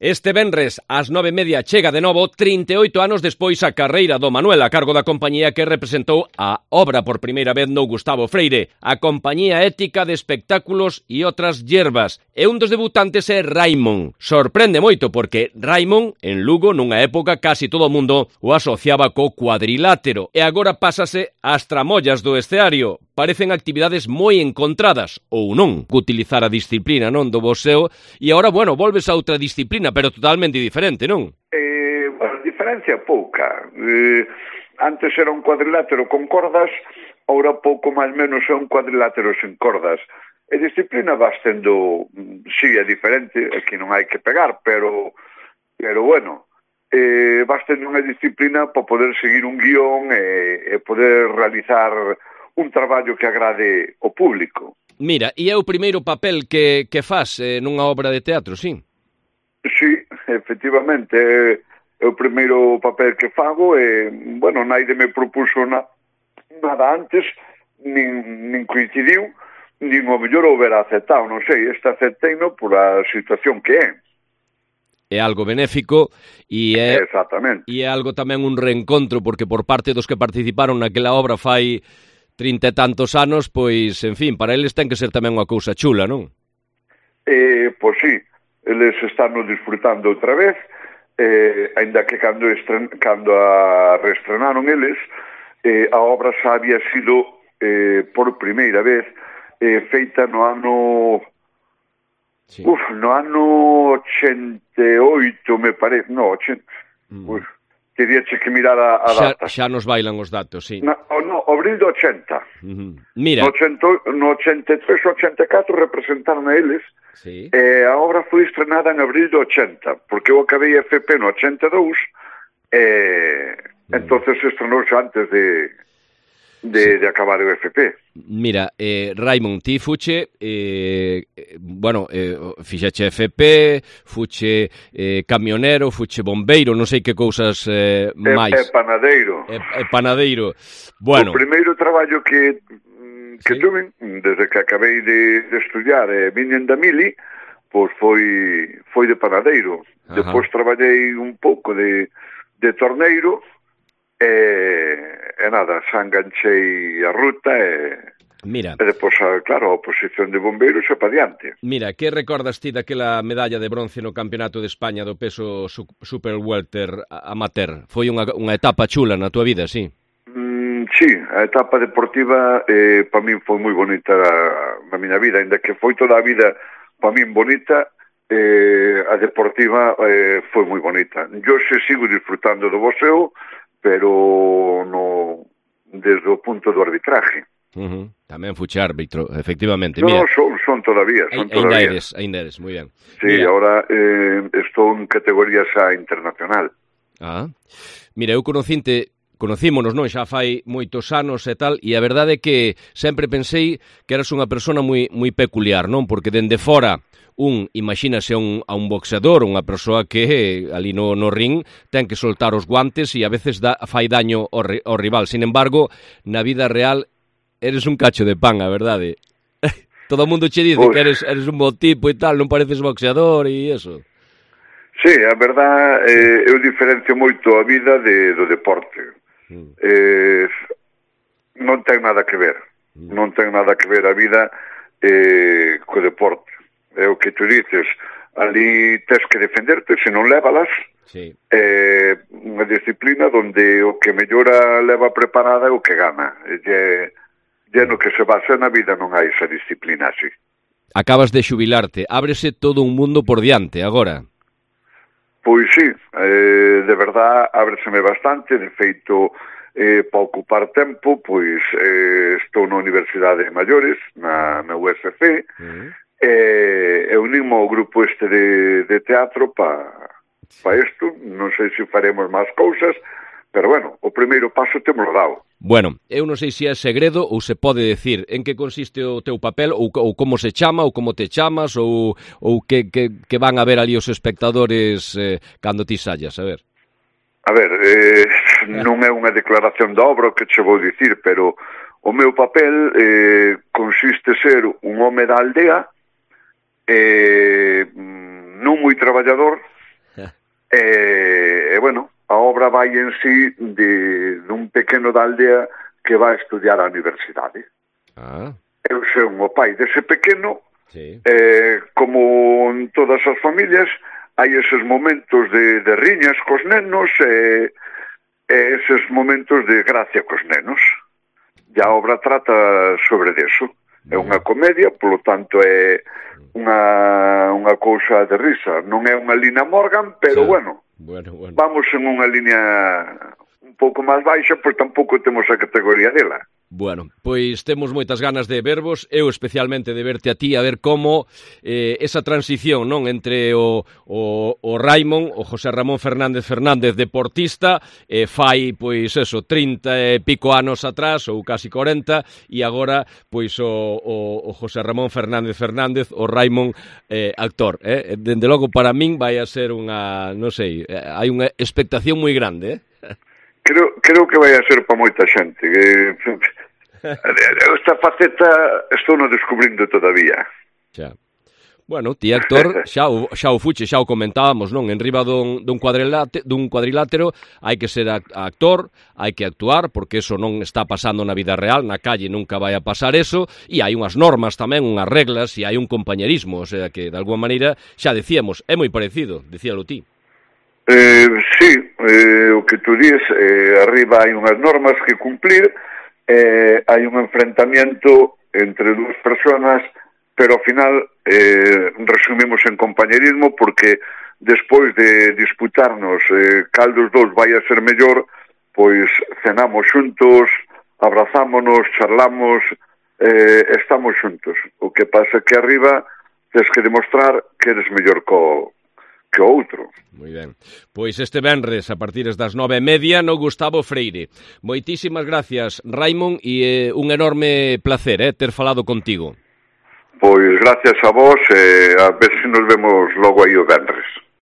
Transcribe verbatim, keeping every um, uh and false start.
Este venres, ás nove e media, chega de novo, trinta e oito anos despois, a carreira do Manuel a cargo da compañía que representou a obra por primeira vez no Gustavo Freire, a Compañía Ética de Espectáculos e Outras Hierbas. E un dos debutantes é Raimon. Sorprende moito porque Raimon, en Lugo, nunha época casi todo o mundo o asociaba co cuadrilátero e agora pásase ás tramollas do escenario. Parecen actividades moi encontradas, ou non, que utilizar a disciplina non do boxeo, e agora, bueno, volves a outra disciplina, pero totalmente diferente, non? Eh, bueno, diferencia pouca. Eh, antes era un cuadrilátero con cordas, agora pouco máis menos é un cuadrilátero sen cordas. E disciplina vas tendo, sí, é diferente, aquí non hai que pegar, pero, pero bueno, eh, vas tendo unha disciplina para poder seguir un guión e, e poder realizar un traballo que agrade ao público. Mira, e é o primeiro papel que, que faz eh, nunha obra de teatro, sí? Sí, efectivamente, é o primeiro papel que fago e, bueno, naide me propuso na, nada antes, nin, nin coincidiu, nin o mellor houbera aceptado, non sei, este acepteino por a situación que é. É algo benéfico e é, exactamente. E é algo tamén un reencontro, porque por parte dos que participaron naquela obra fai trinta e tantos anos, pois, en fin, para eles ten que ser tamén unha cousa chula, non? Eh, pois sí, eles están disfrutando outra vez, eh, ainda que cando, estren, cando a reestrenaron eles, eh, a obra xa había sido eh, por primeira vez eh, feita no ano sí. uf, no ano ochenta e oito, me parece, no, ochenta, mm. uf, teria que mirar a, a data. Xa, xa nos bailan os datos, sí. No, no, abril de ochenta. Uh-huh. Mira. No, ochenta, no ochenta e tres ou ochenta e catro representaron a eles, sí. E a obra foi estrenada en abril de ochenta, porque eu acabei F P no ochenta e dous, e mm. entonces estrenou xa antes de... De, sí. de acabar o F P. Mira, eh, Raimon, ti fuche, eh, bueno, eh, fixeche F P, fuche eh, camionero, fuche bombeiro, non sei que cousas eh, máis. É panadeiro. É, é panadeiro. Bueno. O primeiro traballo que, que sí. tuve, desde que acabei de, de estudiar, eh, viñen da Mili, pois foi, foi de panadeiro. Ajá. Depois traballei un pouco de, de torneiro, E, e nada, xa enganchei a ruta e, Mira, e depois, claro, a oposición de bombeiros e pa diante. Mira, que recordas ti daquela medalla de bronce no Campeonato de España do peso su, super welter amateur? Foi unha, unha etapa chula na tua vida, sí? Mm, sí, a etapa deportiva eh, pa min foi moi bonita na miña vida, ainda que foi toda a vida pa min bonita, eh, a deportiva eh, foi moi bonita. Eu se sigo disfrutando do boxeo, pero no desde o punto do arbitraje. Uh-huh. Tamén fuche árbitro, efectivamente. No, Mira, son, son todavía, son ainda todavía. eres, ainda eres, moi ben. Sí, Mira. ahora eh, estou en categoría xa internacional. Ah. Mira, eu conocinte, conocímonos, non, xa fai moitos anos e tal, e a verdade é que sempre pensei que eras unha persona moi moi peculiar, non? Porque dende fora un, imagínase un, a un boxeador, unha persoa que ali no, no ring ten que soltar os guantes e a veces da, fai daño ao, ao rival. Sin embargo, na vida real eres un cacho de pan, a verdade. Todo o mundo che dice pues, que eres, eres un bo tipo e tal, non pareces boxeador e eso. Sí, a verdade, eh, eu diferencio moito a vida de, do deporte. Mm. Eh, non ten nada que ver. Mm. Non ten nada que ver a vida eh, co deporte. É o que tu dices, ali tes que defenderte, se non lévalas, sí. É unha disciplina onde o que mellora leva preparada é o que gana. E, e no que se basa na vida non hai esa disciplina así. Acabas de xubilarte, ábrese todo un mundo por diante agora. Pois sí, eh, de verdad ábreseme bastante, de feito, eh, para ocupar tempo, pois eh, estou na Universidade de Maiores, na, na U S C, uh-huh. E, e unimos o grupo este de, de teatro para pa isto, non sei se faremos máis cousas, pero bueno, o primeiro paso temos dado. Bueno, eu non sei se é segredo ou se pode decir en que consiste o teu papel ou, ou como se chama ou como te chamas ou, ou que, que, que van a ver ali os espectadores eh, cando ti sallas, a ver. A ver, eh, non é unha declaración de obra que che vou dicir, pero o meu papel eh, consiste ser un home da aldea, eh, non moi traballador, E, e bueno, a obra vai en sí de, dun pequeno da aldea que vai estudiar á universidade. Ah. Eu sei o pai dese pequeno, sí. eh, como en todas as familias, hai eses momentos de, de riñas cos nenos e, e eses momentos de gracia cos nenos. E a obra trata sobre deso. É unha comedia, polo tanto é unha, unha cousa de risa. Non é unha Lina Morgan, pero sí. bueno, bueno, bueno, vamos en unha línea un pouco máis baixa, pois tampouco temos a categoría dela. Bueno, pois temos moitas ganas de vervos, eu especialmente de verte a ti, a ver como eh, esa transición, non, entre o, o, o Raimon, o José Ramón Fernández Fernández, deportista, eh, fai, pois, eso, trinta e pico anos atrás, ou casi corenta, e agora, pois, o, o, o José Ramón Fernández Fernández, o Raimon eh, actor, eh? Dende logo, para min, vai a ser unha, non sei, eh, hai unha expectación moi grande, eh? Creo, creo que vai a ser para moita xente. Esta faceta estou non descubrindo todavía. Xa. Bueno, ti actor, xa o, xa o fuche, xa o comentábamos, non? En riba dun, dun, cuadrilate, dun cuadrilátero hai que ser actor, hai que actuar, porque eso non está pasando na vida real, na calle nunca vai a pasar eso, e hai unhas normas tamén, unhas reglas, e hai un compañerismo, o sea que, de alguma maneira, xa decíamos, é moi parecido, dicíalo ti. Eh, sí, eh, o que tú dis, eh, arriba hai unhas normas que cumplir, eh, hai un enfrentamiento entre dúas personas, pero ao final eh, resumimos en compañerismo porque despois de disputarnos eh, cal dos dous vai a ser mellor, pois cenamos xuntos, abrazámonos, charlamos, eh, estamos xuntos. O que pasa que arriba tens que demostrar que eres mellor co que outro. Moi ben. Pois este venres, a partir das nove e media, no Gustavo Freire. Moitísimas gracias, Raimon, e eh, un enorme placer eh, ter falado contigo. Pois gracias a vos, e eh, a ver se nos vemos logo aí o venres.